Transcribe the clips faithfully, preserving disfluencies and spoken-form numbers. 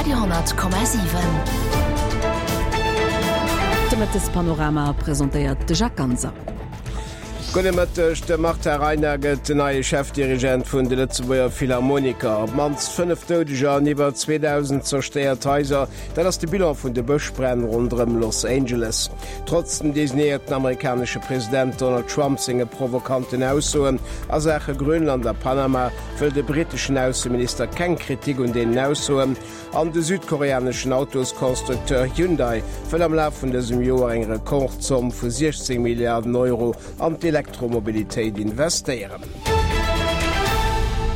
Radio honnert Komma siwen. De Mëttespanorama presentéiert de Jacques Ganser. Gudde Mëtteg, De Martin Reyna gëtt den neie Chefdirigent vun de Lëtzebuerger Philharmoniker. Op d'mannst fënnef Doudeger an iwwer zweedausend zerstéiert Haiser, dat ass de Bilan vun de Bëschbränn ronderëm Los Angeles. Trotz dem designéierten amerikanesche President Donald Trump senge provokanten Aussoen a Saache Grönland a Panama wëll de britteschen Ausseminister keng Kritik un deenen Aussoen. An de südkoreaneschen Autosconstructeur Hyundai wëll am Laf vun dësem Joer eng Rekordzomm vu siechzéng Milliarden Euro an d'Elektromobilitéit investéieren.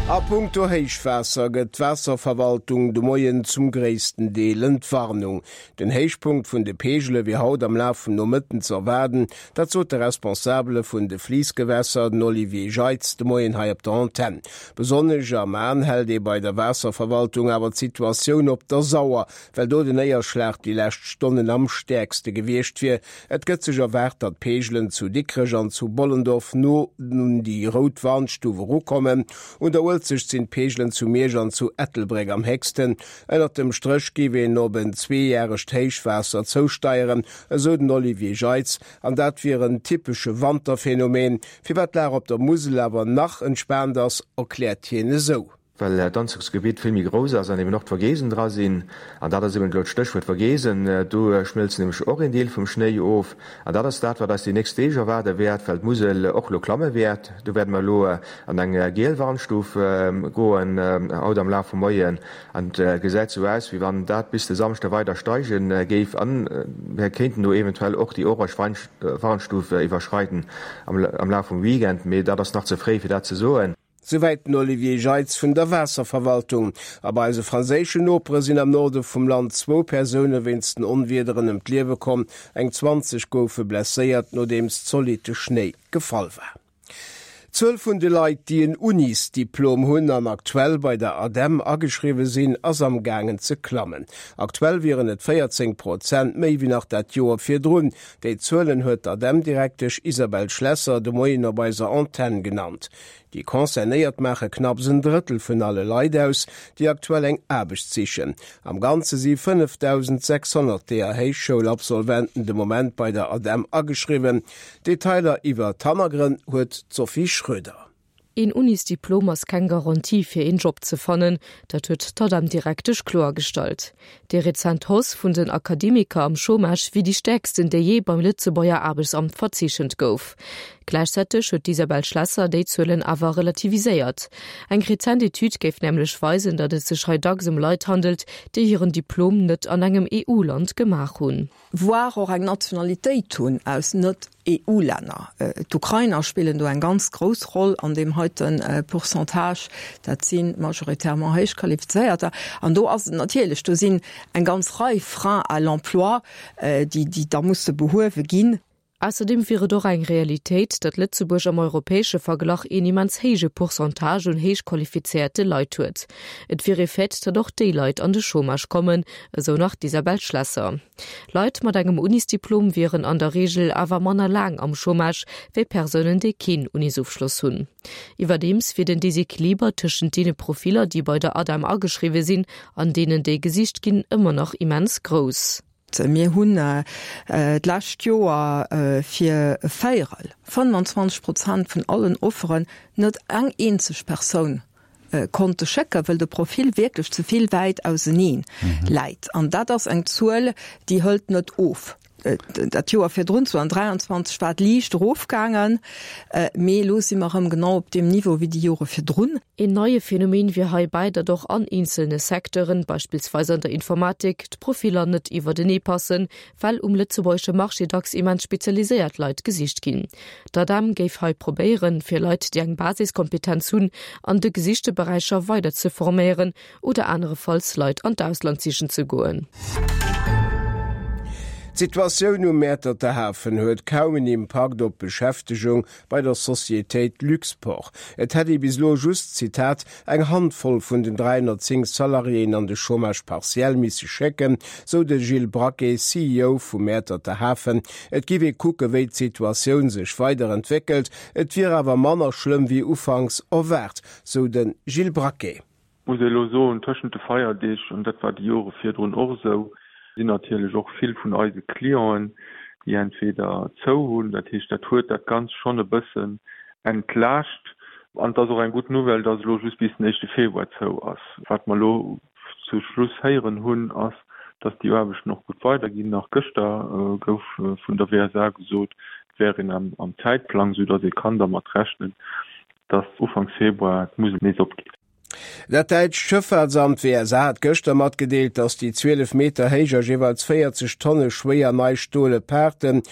A punkto Héichwaasser gëtt d'Waasserverwaltung de Moien zum gréissten Deel Entwarnung. Den Héichpunkt vun de Peegele wier haut am Laf vum Nomëtten ze erwaarden, dat sot de Responsabele vun de Fliissgewässer, den Olivier Jeitz, de Moien hei op der Antenn. Besonnesch am An hält ee bei der Waasserverwaltung awer d'Situatioun op der Sauer, well do den Néierschlag déi lescht Stonnen am stäerkste gewiescht wier. Et gëtt sech erwaart, datt d'Peegelen zu Dikrech an zu Bollendorf no un déi rout Warnstuf erukommen. Un der Uelzecht sinn d'Peegelen zu Miersch an zu Ettelbréck am héchsten. Ënnert dem Stréch géif een op en zweejäregt Héichwaasser zousteieren, esou den Olivier Jeitz, an dat wier en typesche Wanterphenomen. Firwat d'Lag op der Musel awer nach entspaant ass, erkläert hien esou. Well d'Anzuchsgebitt vill méi grouss ass an eben och d'Vogesen dra sinn. An dat ass eben elo d'Stéchwuert Vogesen. Do schmëlzt nämlech och een Deel vum Schnéi of. An dat ass dat, wat eis déi nächst Deeg erwaarde wäert, well d'Musel och elo klamme wäert. Do wäerte mer elo an eng giel Warnstuf goen haut am Laf vum Moien. An et gesäit sou aus, wéi wann dat bis de Samschde weider steige géif. A mir kéinten do eventuell och déi orange Warnstuf iwwerschreiden am Laf vum Weekend. Mee dat ass nach ze fréi, fir dat ze soen. Souwäit den Olivier Jeitz vun der Waasserverwaltung. A bei eise franséischen Nopere sinn am Norde vum Land zwou Persoune wéinst den Onwiederen ëm d'Liewe komm, eng zwanzeg goufe blesséiert, nodeems zolitte Schnéi gefall war. D'Zuel vun de Leit, déi en Unisdiplom hunn an aktuell bei der ADEM ageschriwwe sinn, ass am gaangen ze klammen. Aktuell wieren et véierzéng Prozent méi wéi nach dat Joer virdrun. Déi Zuelen huet d'ADEM-Direktesch Isabelle Schlesser de Moien op eiser Antenn genannt. Déi Concernéiert maache knapps en Drëttel vun alle Leit aus, déi aktuell eng Aarbecht sichen. Am Ganze si fënnefdausendsechshonnert deeër Héichschoulabsolventen de Moment bei der ADEM ageschriwwen. Detailer iwwer d'Hannergrënn huet d'Sophie Schröder. Een Unisdiplom ass keng Garantie fir een Job ze fannen, dat huet d'ADEM-Direktesch kloergestallt. Déi rezent Hausse vun den Akademiker am Chômage wier déi stäerksten, déi jee beim Lëtzebuerger Aarbechtsamt verzeechent gouf. Gläichzäiteg huet d'Isabelle Schlesser déi Zuelen awer relativiséiert. Eng rezent Etüd géif nämlech weisen, datt et sech hei dacks ëm Leit handelt, déi hiren Diplom net an engem E U-Land gemaach hunn. Voire och eng Nationalitéit hunn aus net-E U-Länner. D'Ukrainer spillen do eng ganz grouss Roll an deem heite Pourcentage. Dat si majoritairement Héichqualifizéierter. An do ass et natierlech, do sinn eng ganz Rei Freins à l'emploi, déi déi da musse behuewe ginn. Ausserdeem wier et och eng Realitéit, datt Lëtzebuerg am europäesche Verglach een immens héije Pourcentage un héich qualifizéierte Leit huet. Et wier e Fait, datt och déi Leit an de Chômage kommen, esou nach d'Isabelle Schlesser. Leit mat engem Unisdiplom wieren an der Reegel awer manner laang am Chômage wéi Persounen, déi keen Unisofschloss hunn. Iwwerdeems wier den Desequiliber tëschent deene Profiller, déi bei der ADEM ageschriwwe sinn, an deenen, déi gesicht ginn, ëmmer nach immens grouss. Mir hunn d'lescht Joer fir e Véierel, fënnfanzwanzeg Prozent vun allen Offeren net eng eenzeg Persoun konnte schécken, well de Profil wierklech ze vill wäit auseneen läit. An dat ass eng Zuel, déi hëlt net of. Dat Joer virdrun, zweedausenddräianzwanzeg, war et liicht erofgaangen, mee elo si mer erëm genau op deem Niveau wéi déi Jore virdrun. Een neie Phänomen wier heibäi, datt och an eenzelne Secteuren, beispillsweis an der Informatik, d'Profiller net iwwertenee passen, well um lëtzebuergesche Marché dacks immens spezialiséiert Leit gesicht ginn. D'ADEM géif hei probéieren, fir Leit, déi eng Basiskompetenz hunn, an de gesichte Beräicher weider ze forméieren oder anerefalls Leit an d'Ausland sichen ze goen. D'Situatioun um Mäerterter Hafen huet kaum en Impakt op d'Beschäftegung bei der Societéit Luxport. Et hätt ee bis elo just, Zitat, eng Handvoll vun den dräihonnertzéng Salariéen an de Chômage partiel misse schécken, sou de Gilles Braquet, C E O vum Mäerterter Hafen. Et giff ee kucke wéi d'Situatioun sech weider entwéckelt, et wier awer manner schlëmm wéi ufanks erwaart, sou de Gilles Braquet. Muss ee elo soen, tëschent de Feierdeeg, an dat war déi Jore virdrun och esou, sinn natierlech och vill vun eise Clienten, déi entweder zou hunn, dat heescht, dat huet dat Ganzt schonn e bëssen entlaascht. An et ass och eng gutt Nouvelle, dass elo just bis den éischte Februar zou ass. Wat mer elo zu Schluss héieren hunn, ass, dass déi Aarbechten och gutt weiderginn. Nach gëschter gouf vun der WSA gesot, et wär een am Zäitplang, soudass ee kann dermat rechnen, dass Ufanks Februar d'Musel nees opgeet. Dat däitscht Schëffaartsamt WSA hat gëschter matgedeelt, datt déi zwielef Meter héich a jeeweils véierzeg Tonne schwéier nei stole Paarten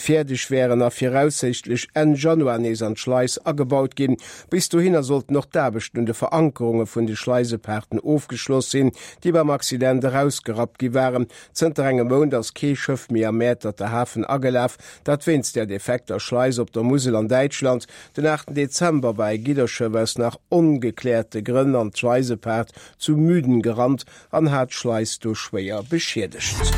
fäerdeg wären a viraussiichtlech Enn Januar nees an d'Schleis agebaut ginn. Bis dohinner sollten och d'Aarbechten un de Verankerunge vun de Schleisepaarten ofgeschloss sinn, déi beim Accident erausgerappt gi waren. Zënter engem Mount ass kee Schëff méi am Mäerterter Hafen agelaf, dat wéinst där defekter Schleis op der Musel an Däitschland. Den aachten Dezember war e Gidderschëff aus nach ongekläerte Grënn an d'Schleisepaart zu Müden gerannt an hat d'Schleis do schwéier beschiedegt.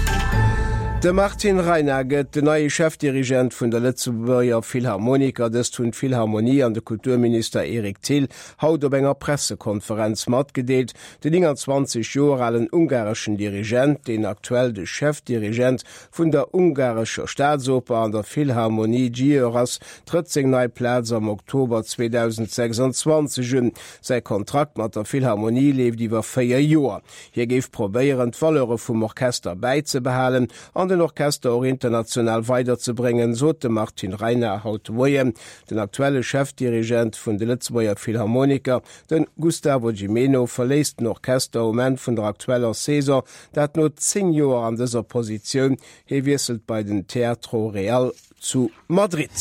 De Martin Reina gëtt den neie Chefdirigent vun der Lëtzebuerger Philharmoniker. Dëst hunn d'Philharmonie an de Kulturminister Eric Thill haut op enger Pressekonferenz matgedeelt. Den nénganzwanzeg Joer alen ungareschen Dirigent, deen aktuell de Chefdirigent vun der ungarescher Staatsoper an der Philharmonie Győr ass, trëtt seng nei Plaz am Oktober zweedausendsechsanzwanzeg un. Säi Kontrakt mat der Philharmonie leeft iwwer véier Joer. Hie géif probéieren, d'Valeure vum Orchester bäizebehalen an den Orchester och international weiderzebréngen, sot de Martin Reiner haut de Moien. Den aktuelle Chefdirigent vun de Lëtzebuerger Philharmoniker, de Gustavo Gimeno, verléisst den Orchester um Enn vun der aktueller Saison, dat no zéng Joer an dëser Positioun. Hie wiesselt bei den Teatro Real zu Madrid.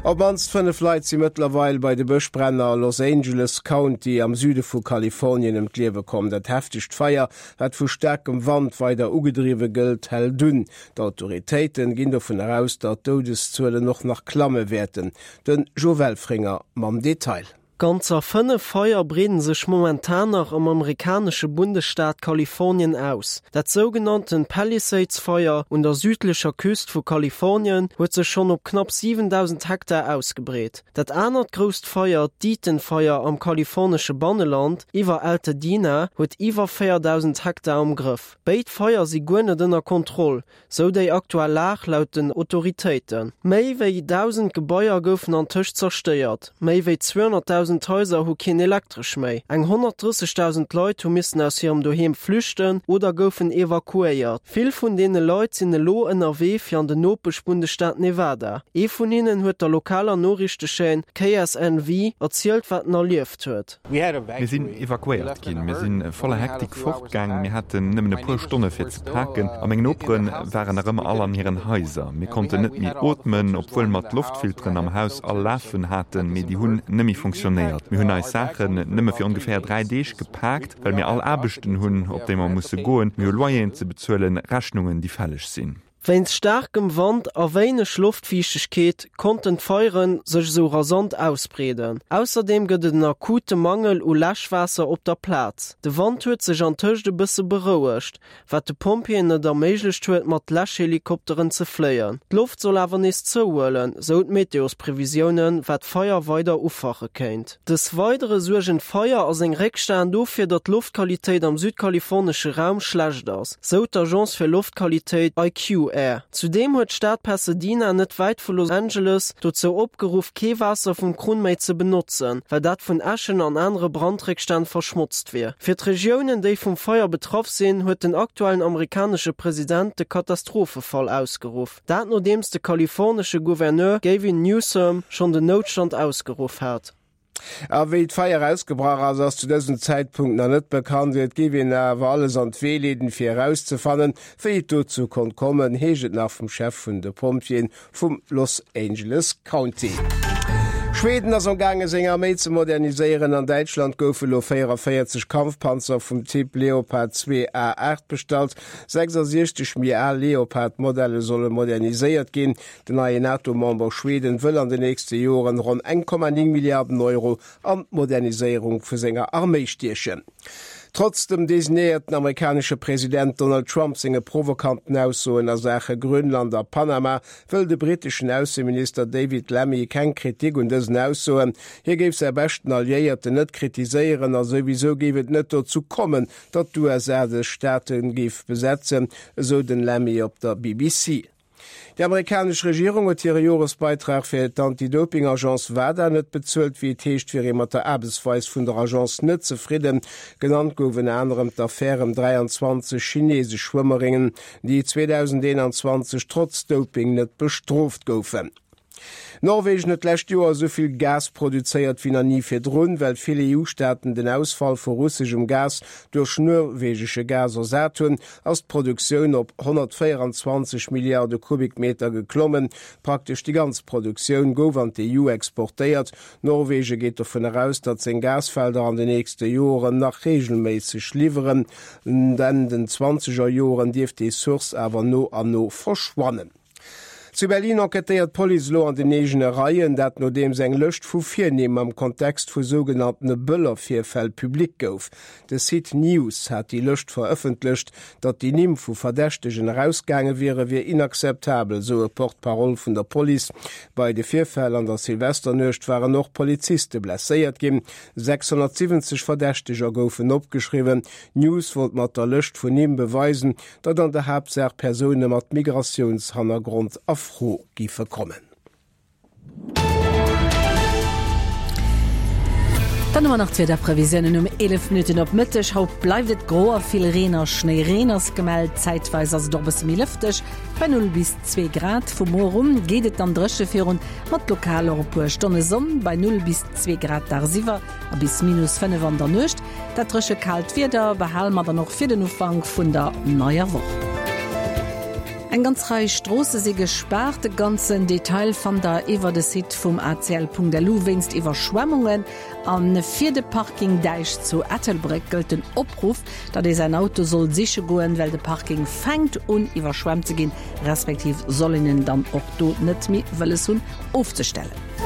Op d'mannst fënnef Leit si mëttlerweil bei de Bëschbränn a Los Angeles County am Süde vu Kalifornien ëm d'Liewe komm. Dat heftegt Feier, wat vu staarkem Wand weider ugedriwwe gëllt, hält un. D'Autoritéite ginn dovun eraus, datt d'Doudeszuelen och nach klamme wäerten. De Jo Welfringer mam Detail. Ganzer fënnef Feier breeden sech momentan nach am amerikanesche Bundesstaat Kalifornien aus. Dat sougenannten Palisades-Feier un der südlecher Küst vu Kalifornien huet sech schonn op knapp siwendausend Hektar ausgebreet. Dat anert grousst Feier, d'Eaton-Feier am kalifornesche Banneland iwwer Altadena, huet iwwer véierdausend Hektar am Grëff. Béid Feier si guer net ënner Kontroll, sou déi aktuell Lag laut den Autoritéiten. Méi wéi dausend Gebaier goufen antëscht zerstéiert, méi wéi zweehonnertdausend Haiser hu keen Elektresch méi, eng honnertdrëssegdausend Leit hu missen aus hirem Doheem flüchten oder goufen evakuéiert. Vill vun deene Leit sinn elo ënnerwee fir an den Nopeschbundesstaat Nevada. Ee vun hinnen huet der lokaler Noriichtechaîne K S N V erzielt, wat en erlieft huet. Mir sinn evakuéiert ginn. Mir si voller Hektik fortgaangen. Mir haten nëmmen e puer Stonne fir ze paken a meng Nopere waren nach ëmmer all an hiren Haiser. Mir konnten net méi ootmen, obwuel mer d'Loftfilteren am Haus all lafen haten, mee déi hunn nëmme funktionéiert. Mir hunn eis Saachen nëmme fir ongeféier dräi Deeg gepaakt, well mir all Aarbechten hunn, op déi mer musse goen. Mir hu Loyeren ze bezuelen, Rechnungen, déi fälleg sinn. Wéinst staarkem Wand a wéineg Loftfiichtegkeet konnten d'Feiere sech esou rasant ausbreeden. Ausserdeem gëtt et en akute Mangel u Läschwaasser op der Plaz. De Wand huet sech antëscht e bësse berouegt, wat de Pompjeeën et erméiglecht huet, mat Läschhelikopteren ze fléien. D'Loft soll awer nees zouhuelen, sou d'Meteosprevisiounen, wat d'Feier weider ufache kéint. Des Weidere suergen d'Feier a seng Réckstänn dofir, datt d'Loftqualitéit am südkalifornesche Raum schlecht ass, sou d'Agence fir Loftqualitéit I Q Air. Zudeem huet d'Stad Pasadena, net wäit vu Los Angeles, dozou opgeruff, kee Waasser vum Krunn méi ze benotzen, well dat vun Äschen an anere Brandréckstänn verschmotzt wier. Fir d'Regiounen, déi vum Feier betraff sinn, huet den aktuellen amerikanesche President de Katastrophefall ausgeruff. Dat nodeems de kalifornesche Gouverneur Gavin Newsom schonn den Noutstand ausgeruff hat. A wéi d'Feier ausgebrach ass, ass zu dësem Zäitpunkt nach net bekannt. Et géif een awer alles an d'Wee leeden, fir erauszefannen, wéi et dozou konnt kommen, heescht et nach vum Chef vun de Pompjeeën vum Los Angeles County. Schweden ass amgaange seng Arméi ze moderniséieren. An Däitschland goufe lo véieranvéierzeg Kampfpanzer vum Typ Leopard zwee A aacht bestallt. sechsasiechzeg méi al Leopard-Modelle solle moderniséiert ginn. Den neien NATO-Member Schweden wëll an den nächste Joren ronn eng Komma néng Milliarden Euro an d'Moderniséierung vu senger Arméi stiechen. Trotz dem designéierten amerikanesche President Donald Trump senge provokanten Aussoen a Saache Grönland a Panama wëll de britteschen Ausseminister David Lammy keng Kritik un dësen Aussoen. Hie géif säi beschten Alliéierten net kritiséieren a souwisou géif et net dozou kommen, datt d'USA dës Staate géif besetzen, esou den Lammy op der BBC. Déi amerikanesch Regierung huet hire Joresbeitrag fir d'Anti-Doping-Agence WADA net bezuelt. Wéi et heescht, wier ee mat der Aarbechtsweis vun der Agence net zefridden. Genannt gouf ënner anerem d'Affär ëm dräianzwanzeg chinesesch Schwëmmerinnen, déi zweedausendeenanzwanzeg trotz Doping net bestrooft goufen. Norwegen huet d'lescht Joer esou vill Gas produzéiert wéi nach ni virdrun, well vill EU-Staaten den Ausfall vu russeschem Gas duerch norwegesche Gas ersat hunn, ass d'Produktioun op honnertvéieranzwanzeg Milliarde Kubikmeter geklommen. Praktesch déi ganz Produktioun gouf an d'EU exportéiert. Norwege geet dovun aus, datt seng Gasfelder an den nächste Joren nach reegelméisseg liwweren. Enn den zwanzeger Joren dierft déi Source awer no an no verschwannen. Zu Berlin enquêtéiert d'Police elo an den eegene Reien, dat nodeems eng Lëscht vu Virnimm am Kontext vu sougenanntene Böller-Virfäll public gouf. De Site News hat déi Lëscht verëffentlecht. Datt déi Nimm vu Verdächtegen erausgaange wiere wier inakzeptabel, sou e Porte-parole vun der Police. Bei de Virfäll an der Silvesternuecht waren och Poliziste blesséiert ginn. sechshonnertsiwwenzeg Verdächteger goufen opgeschriwwen. News wollt mat der Lëscht vun Nimm beweisen, datt an der Haaptsaach Persoune mat Migratiounshannergrond a Fro géife kommen. Dann hu mer nach d'Wiederprevisiounen um eelef Minutten op Mëtteg. Haut bleift et gro a vill Reen a Schnéireen ass gemellt. Zäitweis ass et och e bësse méi lëfteg, bei null bis zwee Grad. Vu muer un geet et dann dréche virun, mat lokal och e puer Stonne Sonn, bei null bis zwee Grad dagsiwwer a bis minus fënnef an der Nuecht. Dat dréche kaalt Wieder behale mer dann och fir den Ufank vun der neier Woch. Eng ganz Rei Stroosse si gespaart. De ganzen Detail fannt der iwwer de Site vum acl.lu. Wéinst Iwwerschwemmungen a fir de Parking Däich zu Ettelbréck gëllt den Opruff, datt ee säin Auto soll siche goen, well de Parking fänkt un iwwerschwemmt ze ginn, respektiv soll een en dann och do net méi wëlles hunn ofzestellen.